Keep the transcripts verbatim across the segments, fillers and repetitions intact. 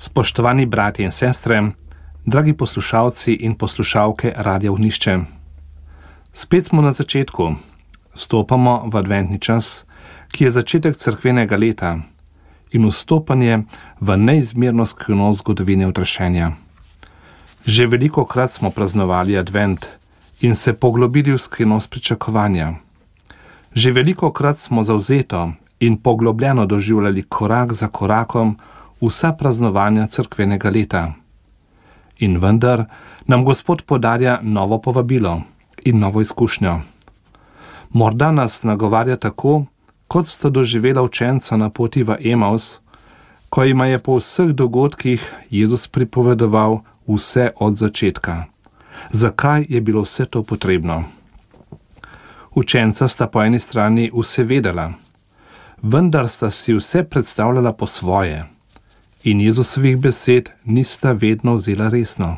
Spoštovani bratje in sestre, dragi poslušalci in poslušalke Radia Ognjišče. Spet smo na začetku, vstopamo v adventni čas, ki je začetek cerkvenega leta in vstopanje v neizmerno skrivnost zgodovine odrešenja. Že velikokrat smo praznovali advent in se poglobili v skrivnost pričakovanja. Že velikokrat smo zavzeto in poglobljeno doživljali korak za korakom vsa praznovanja cerkvenega leta. In vendar nam Gospod podarja novo povabilo in novo izkušnjo. Morda nas nagovarja tako, kot sta doživela učenca na poti v Emaus, ko jima je po vseh dogodkih Jezus pripovedoval vse od začetka. Zakaj je bilo vse to potrebno? Učenca sta po eni strani vse vedela, vendar sta si vse predstavljala po svoje in Jezusovih besed nista vedno vzela resno.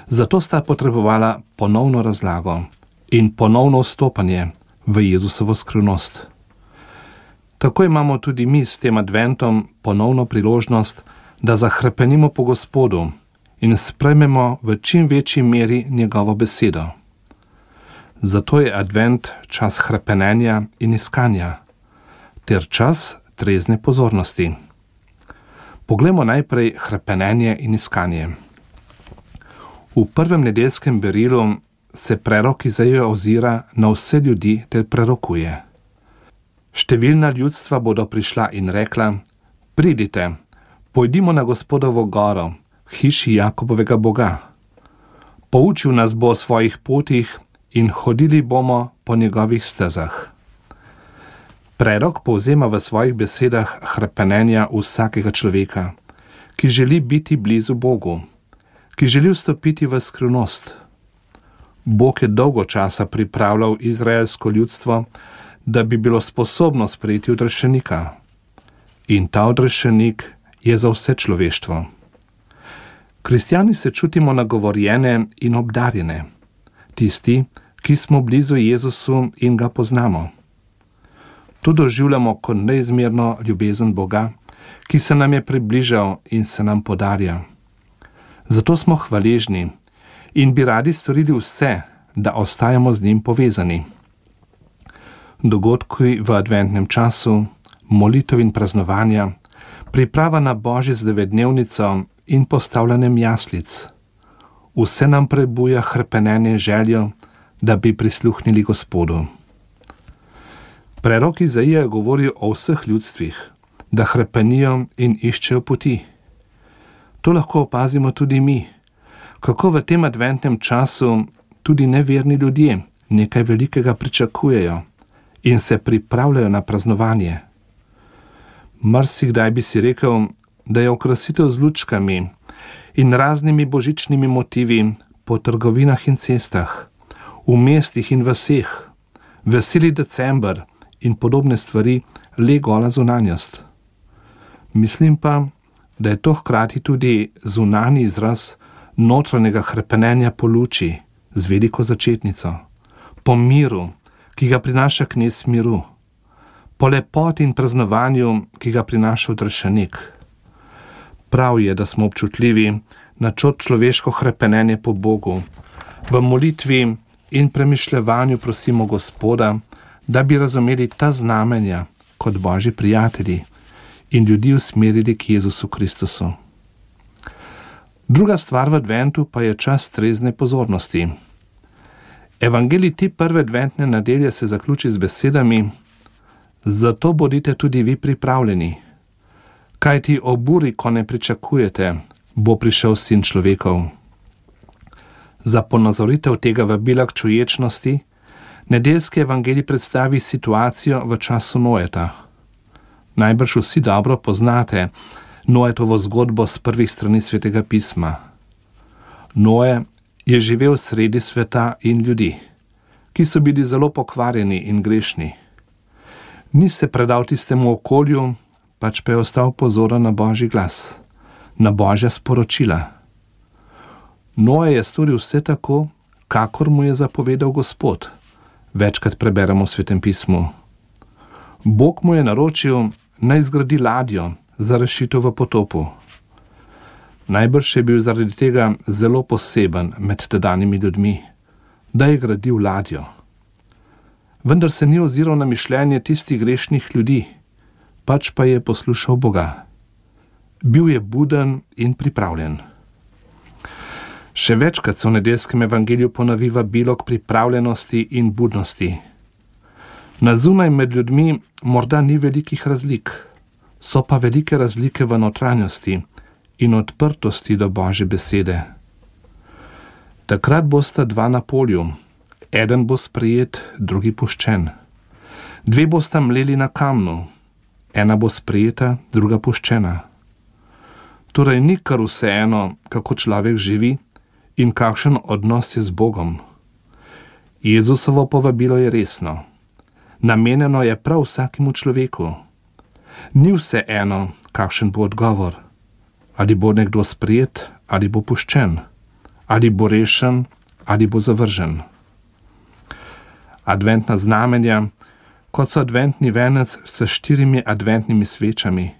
Zato sta potrebovala ponovno razlago in ponovno vstopanje v Jezusovo skrivnost. Tako imamo tudi mi s tem adventom ponovno priložnost, da zahrepenimo po Gospodu in sprejmemo v čim večji meri njegovo besedo. Zato je advent čas hrepenenja in iskanja, ter čas trezne pozornosti. Poglejmo najprej hrepenenje in iskanje. V prvem nedeljskem berilu se prerok Izaija ozira na vse ljudi ter prerokuje. Številna ljudstva bodo prišla in rekla: Pridite, pojdimo na Gospodovo goro, hiši Jakobovega Boga. Poučil nas bo o svojih potih in hodili bomo po njegovih stezah. Prerok povzema v svojih besedah hrepenenja vsakega človeka, ki želi biti blizu Bogu, ki želi vstopiti v skrivnost. Bog je dolgo časa pripravljal izraelsko ljudstvo, da bi bilo sposobno sprejeti odrešenika. In ta odrešenik je za vse človeštvo. Kristjani se čutimo nagovorjene in obdarjene, tisti, ki smo blizu Jezusu in ga poznamo. To doživljamo kot neizmerno ljubezen Boga, ki se nam je približal in se nam podarja. Zato smo hvaležni in bi radi storili vse, da ostajamo z njim povezani. Dogodki v adventnem času, molitev in praznovanja, priprava na Božjo devetdnevnico in postavljanjem jaslic. Vse nam prebuja hrepenenje in željo, da bi prisluhnili Gospodu. Prerok Izaija govori o vseh ljudstvih, da hrepenijo in iščejo poti. To lahko opazimo tudi mi, kako v tem adventnem času tudi neverni ljudje nekaj velikega pričakujejo in se pripravljajo na praznovanje. Marsikdaj bi si rekel, da je okrasitev z lučkami in raznimi božičnimi motivi po trgovinah in cestah, v mestih in vaseh, veseli december in podobne stvari le gola zunanjost. Mislim pa, da je to hkrati tudi zunanji izraz notranjega hrepenenja po luči z veliko začetnico, po miru, ki ga prinaša knez miru, po lepoti in praznovanju, ki ga prinaša odrešenik. Prav je, da smo občutljivi na človeško hrepenenje po Bogu. V molitvi in premišljevanju prosimo Gospoda, da bi razumeli ta znamenja kot Božji prijatelji in ljudi usmerili k Jezusu Kristusu. Druga stvar v adventu pa je čas trezne pozornosti. Evangelij te prve adventne nedelje se zaključi z besedami: Zato bodite tudi vi pripravljeni, kajti ob uri, ko ne pričakujete, bo prišel Sin človekov. Za ponazoritev tega vabila k čuječnosti nedeljski evangelij predstavi situacijo v času Noeta. Najbrž vsi dobro poznate Noetovo zgodbo s prvih strani Svetega pisma. Noe je živel sredi sveta in ljudi, ki so bili zelo pokvarjeni in grešni. Ni se predal tistemu okolju, pač pa je ostal pozoren na Božji glas, na Božja sporočila. Noe je storil vse tako, kakor mu je zapovedal Gospod. Večkrat preberemo v Svetem pismu. Bog mu je naročil, naj zgradi ladjo za rešitev v potopu. Najbrž je bil zaradi tega zelo poseben med tedanjimi ljudmi, da je gradil ladjo. Vendar se ni oziral na mišljenje tistih grešnih ljudi, pač pa je poslušal Boga. Bil je buden in pripravljen. Še večkrat se v nedeljskem evangeliju ponovi vabilo k pripravljenosti in budnosti. Na zunaj med ljudmi morda ni velikih razlik, so pa velike razlike v notranjosti in odprtosti do Božje besede. Takrat bosta dva na polju, eden bo sprejet, drugi puščen. Dve bosta mleli na kamnu, ena bo sprejeta, druga puščena. Torej ni kar vseeno, kako človek živi in kakšen odnos je z Bogom. Jezusovo povabilo je resno. Namenjeno je prav vsakemu človeku. Ni vseeno, kakšen bo odgovor. Ali bo nekdo sprejet, ali bo puščen. Ali bo rešen, ali bo zavržen. Adventna znamenja, kot so adventni venec s štirimi adventnimi svečami,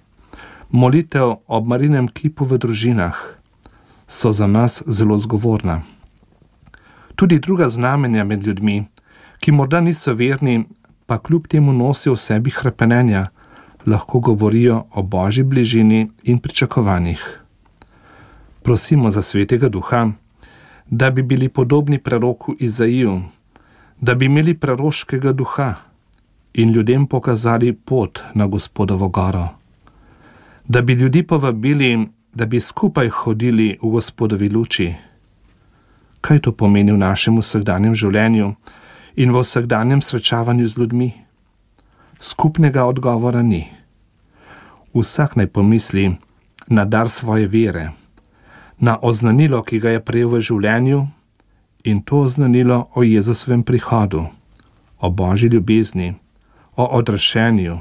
molitev ob Marijinem kipu v družinah, so za nas zelo zgovorna. Tudi druga znamenja med ljudmi, ki morda niso verni, pa kljub temu nosijo v sebi hrepenenja, lahko govorijo o Božji bližini in pričakovanjih. Prosimo za Svetega Duha, da bi bili podobni preroku Izaiju, da bi imeli preroškega duha in ljudem pokazali pot na Gospodovo goro. Da bi ljudi povabili, da bi skupaj hodili v Gospodovi luči. Kaj to pomeni v našem vsakdanjem življenju in v vsakdanjem srečavanju z ljudmi? Skupnega odgovora ni. Vsak naj pomisli na dar svoje vere, na oznanilo, ki ga je prejel v življenju, in to oznanilo o Jezusovem prihodu, o Božji ljubezni, o odrešenju,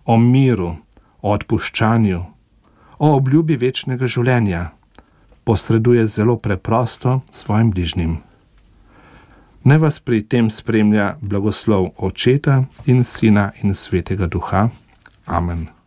o miru, o odpuščanju, o obljubi večnega življenja, posreduje zelo preprosto svojim bližnjim. Naj vas pri tem spremlja blagoslov Očeta in Sina in Svetega Duha. Amen.